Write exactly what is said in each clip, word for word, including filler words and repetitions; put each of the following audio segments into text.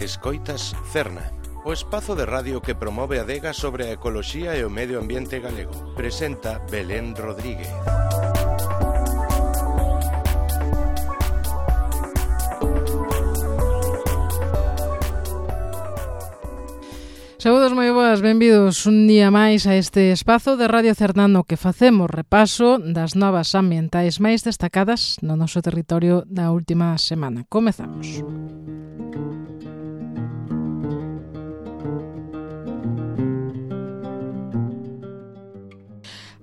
Escoitas Cerna, o espazo de radio que promove a adega sobre a ecoloxía e o medio ambiente galego. Presenta Belén Rodríguez. Saúdos moi boas, benvidos un día máis a este espazo de Radio Cerna no que facemos repaso das novas ambientais máis destacadas no noso territorio da última semana. Comezamos.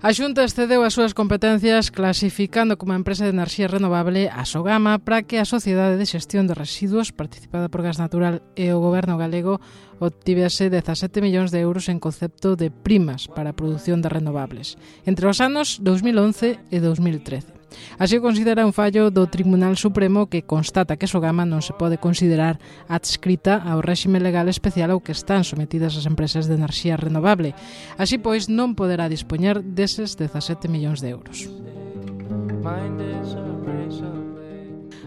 A Xunta excedeu as súas competencias clasificando como empresa de enerxía renovable a Sogama para que a Sociedade de Xestión de Residuos, participada por Gas Natural e o Goberno galego, obtivese dezasete millóns de euros en concepto de primas para a produción de renovables entre os anos dous mil once e dous mil trece. Así o considera un fallo do Tribunal Supremo que constata que Sogama non se pode considerar adscrita ao réxime legal especial ao que están sometidas as empresas de enerxía renovable. Así pois non poderá dispoñer deses dezasete millóns de euros.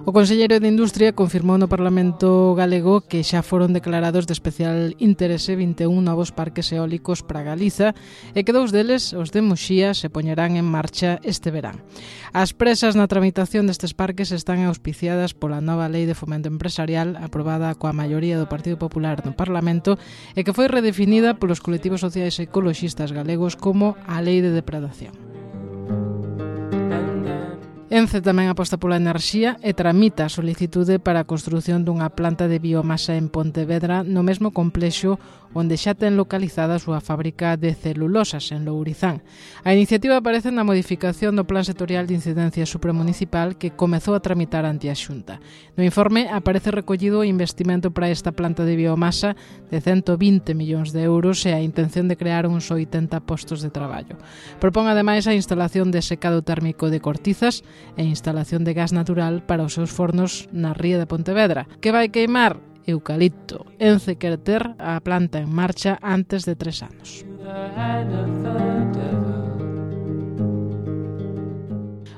O Conselleiro de Industria confirmou no Parlamento galego que xa foron declarados de especial interese vinte e un novos parques eólicos para Galiza e que dous deles, os de Muxía, se poñerán en marcha este verán. As presas na tramitación destes parques están auspiciadas pola nova Lei de Fomento Empresarial aprobada coa maioría do Partido Popular no Parlamento e que foi redefinida polos colectivos sociais e ecoloxistas galegos como a Lei de Depredación. Ence tamén aposta pola enerxía e tramita a solicitude para a construción dunha planta de biomasa en Pontevedra no mesmo complexo onde xa ten localizada a súa fábrica de celulosas en Lourizán. A iniciativa aparece na modificación do Plan Sectorial de Incidencia Supramunicipal que comezou a tramitar ante a Xunta. No informe aparece recollido o investimento para esta planta de biomasa de ciento vinte millóns de euros e a intención de crear uns oitenta postos de traballo. Propón ademais a instalación de secado térmico de cortizas e instalación de gas natural para os seus fornos na ría de Pontevedra, que vai queimar eucalipto. Ence quere ter a planta en marcha antes de tres anos.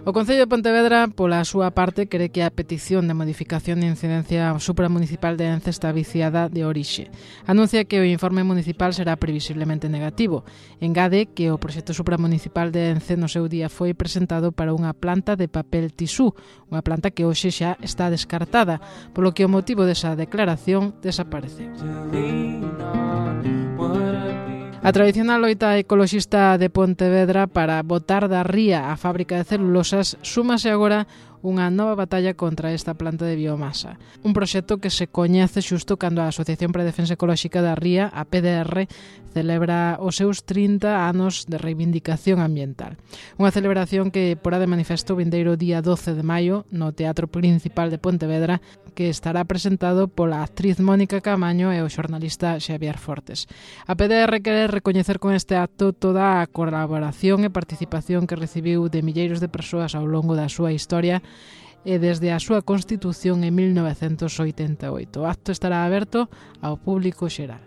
O Concello de Pontevedra, pola súa parte, cree que a petición de modificación de incidencia supramunicipal de Ence está viciada de orixe. Anuncia que o informe municipal será previsiblemente negativo. Engade que o proxecto supramunicipal de Ence no seu día foi presentado para unha planta de papel tisú, unha planta que hoxe xa está descartada, polo que o motivo desa declaración desapareceu. A tradicional loita ecoloxista de Pontevedra para botar da ría a fábrica de celulosas súmase agora unha nova batalla contra esta planta de biomasa. Un proxecto que se coñece xusto cando a Asociación para a Defensa Ecolóxica da Ría, a P D R, celebra os seus trinta anos de reivindicación ambiental. Unha celebración que porá de manifesto o vindeiro día doce de maio no Teatro Principal de Pontevedra, que estará presentado pola actriz Mónica Camaño e o xornalista Xavier Fortes. A P D R quere recoñecer con este acto toda a colaboración e participación que recibiu de milleiros de persoas ao longo da súa historia e desde a súa constitución en mil novecentos oitenta e oito. O acto estará aberto ao público xeral.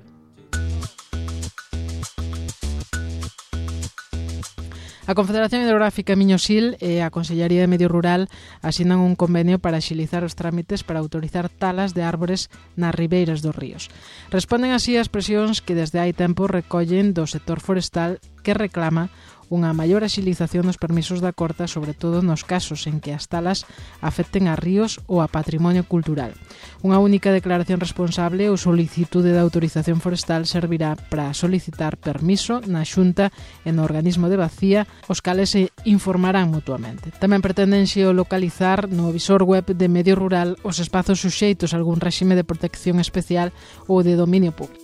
A Confederación Hidrográfica Miño-Sil e a Consellería de Medio Rural asinan un convenio para axilizar os trámites para autorizar talas de árbores nas ribeiras dos ríos. Responden así as presións que desde hai tempo recollen do sector forestal que reclama unha maior axilización dos permisos da corta, sobre todo nos casos en que as talas afecten a ríos ou a patrimonio cultural. Unha única declaración responsable ou solicitude de autorización forestal servirá para solicitar permiso na Xunta e no organismo de Bacía, os cales se informarán mutuamente. Tamén pretenden xeolocalizar no visor web de Medio Rural os espazos suxeitos a algún réxime de protección especial ou de dominio público.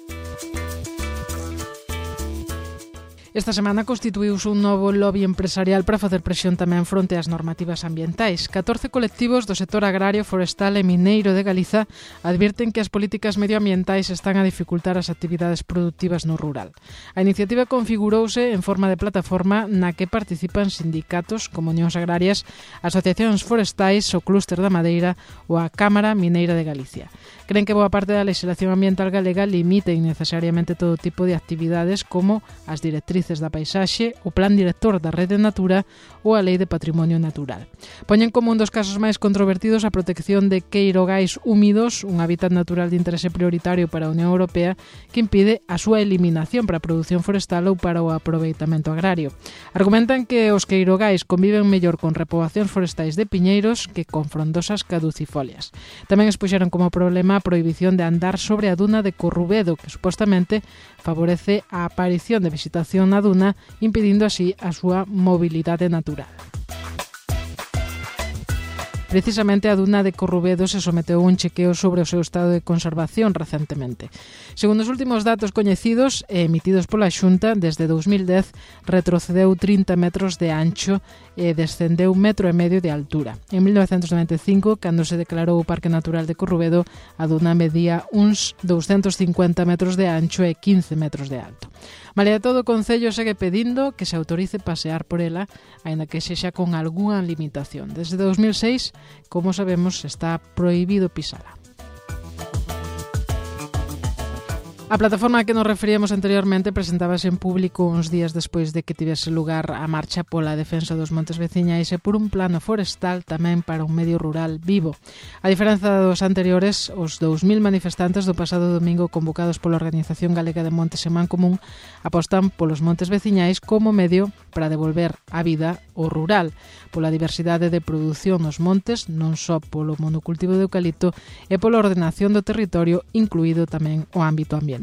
Esta semana constituíuse un novo lobby empresarial para facer presión tamén fronte ás normativas ambientais. catorce colectivos do sector agrario, forestal e mineiro de Galiza advirten que as políticas medioambientais están a dificultar as actividades productivas no rural. A iniciativa configurouse en forma de plataforma na que participan sindicatos como unións agrarias, asociacións forestais, o Clúster da Madeira ou a Cámara Mineira de Galicia. Creen que boa parte da legislación ambiental galega limita innecesariamente todo tipo de actividades como as directrices directrices da paisaxe, o Plan Director da Rede Natura ou a Lei de Patrimonio Natural. Poñen como un dos casos máis controvertidos a protección de queirogais húmidos, un hábitat natural de interese prioritario para a Unión Europea que impide a súa eliminación para a produción forestal ou para o aproveitamento agrario. Argumentan que os queirogais conviven mellor con repoboacións forestais de piñeiros que con frondosas caducifolias. Tamén expuxeron como problema a prohibición de andar sobre a duna de Corrubedo, que supostamente favorece a aparición de vegetación na duna, impedindo así a súa mobilidade natural. Precisamente a duna de Corrubedo se someteu a un chequeo sobre o seu estado de conservación recentemente. Segundo os últimos datos coñecidos e emitidos pola Xunta, desde dous mil dez retrocedeu trinta metros de ancho e descendeu un metro e medio de altura. En mil novecentos noventa e cinco, cando se declarou o Parque Natural de Corrubedo, a duna medía uns douscentos cincuenta metros de ancho e quince metros de alto. Malia todo, o Concello segue pedindo que se autorice pasear por ela, aínda que sexa con algunha limitación. Desde dous mil seis, como sabemos, está prohibido pisala. A plataforma a que nos referíamos anteriormente presentábase en público uns días despois de que tivese lugar a marcha pola defensa dos montes veciñais e por un plano forestal tamén para un medio rural vivo. A diferenza dos anteriores, os dous mil manifestantes do pasado domingo convocados pola Organización Galega de Montes e Mancomún apostan polos montes veciñais como medio para devolver a vida ao rural, pola diversidade de produción nos montes, non só polo monocultivo de eucalipto e pola ordenación do territorio, incluído tamén o ámbito ambiental.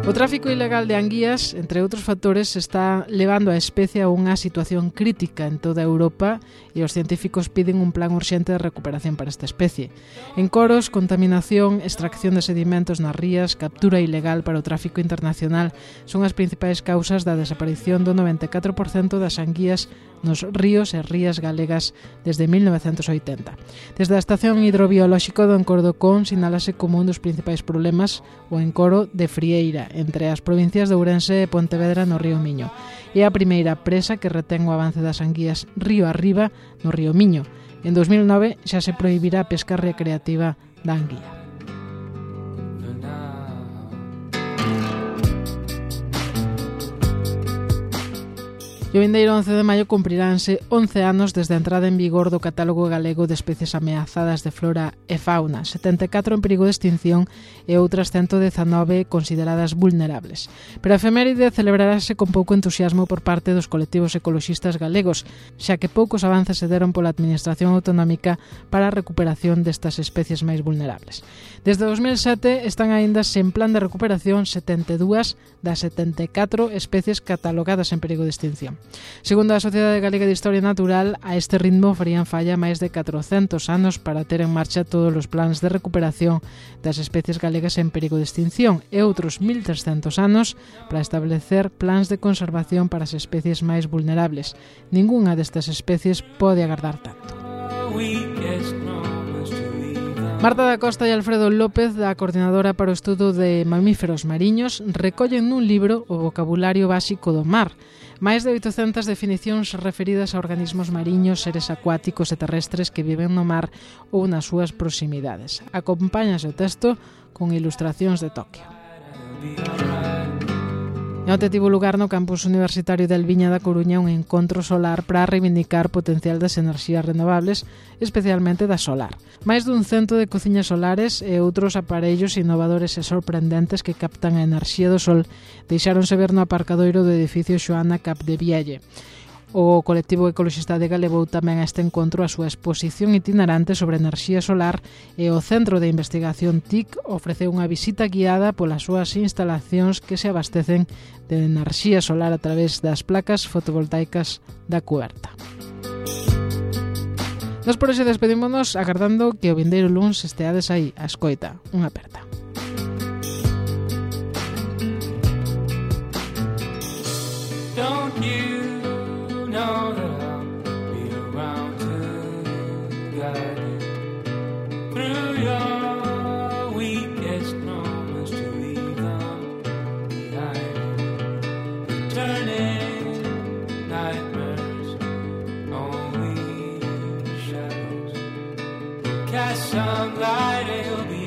O tráfico ilegal de anguías, entre outros factores, está levando a especie a unha situación crítica en toda Europa e os científicos piden un plan urxente de recuperación para esta especie. Encoros, contaminación, extracción de sedimentos nas rías, captura ilegal para o tráfico internacional son as principais causas da desaparición do noventa e catro por cento das anguías nos ríos e rías galegas desde mil novecentos oitenta. Desde a Estación Hidrobiolóxico do Encoro do Con sinálase como un dos principais problemas o encoro de Frieira, entre as provincias de Ourense e Pontevedra no río Miño. É a primeira presa que retén o avance das anguías río arriba no río Miño. En dos mil nove xa se prohibirá a pesca recreativa da anguía. E o vindeiro once de maio cumpriránse once anos desde a entrada en vigor do Catálogo Galego de Especies Ameazadas de Flora e Fauna, setenta e catro en perigo de extinción e outras ciento dezanove consideradas vulnerables. Pero a efeméride celebrarase con pouco entusiasmo por parte dos colectivos ecoloxistas galegos, xa que poucos avances se deron pola Administración Autonómica para a recuperación destas especies máis vulnerables. Desde dos mil sete están aínda sen plan de recuperación setenta e dúas das setenta e catro especies catalogadas en perigo de extinción. Segundo a Sociedade Galega de Historia Natural, a este ritmo farían falla máis de catrocentos anos para ter en marcha todos os plans de recuperación das especies galegas en perigo de extinción e outros mil trescentos anos para establecer plans de conservación para as especies máis vulnerables. Ningunha destas especies pode agardar tanto. Marta da Costa e Alfredo López, da Coordinadora para o Estudo de Mamíferos Mariños, recollen nun libro o vocabulario básico do mar, máis de oitocentas definicións referidas a organismos mariños, seres acuáticos e terrestres que viven no mar ou nas súas proximidades. Acompáñase o texto con ilustracións de Tokio. E onte tivo lugar no campus universitario de Alviña da Coruña un encontro solar para reivindicar o potencial das enerxías renovables, especialmente da solar. Máis dun cento de cociñas solares e outros aparellos innovadores e sorprendentes que captan a enerxía do sol deixáronse ver no aparcadoiro do edificio Xoana Capdevielle. O colectivo ecoloxista de levou tamén a este encontro a súa exposición itinerante sobre enerxía solar e o Centro de Investigación T I C ofreceu unha visita guiada polas súas instalacións que se abastecen de enerxía solar a través das placas fotovoltaicas da cuberta. Nos por hoxe despedímonos agardando que o vindeiro luns esteades aí a escoita. Unha aperta. Don't you know that I'll be around to guide you through your weakest moments to leave them behind you, turning nightmares only shadows, cast some light, it'll be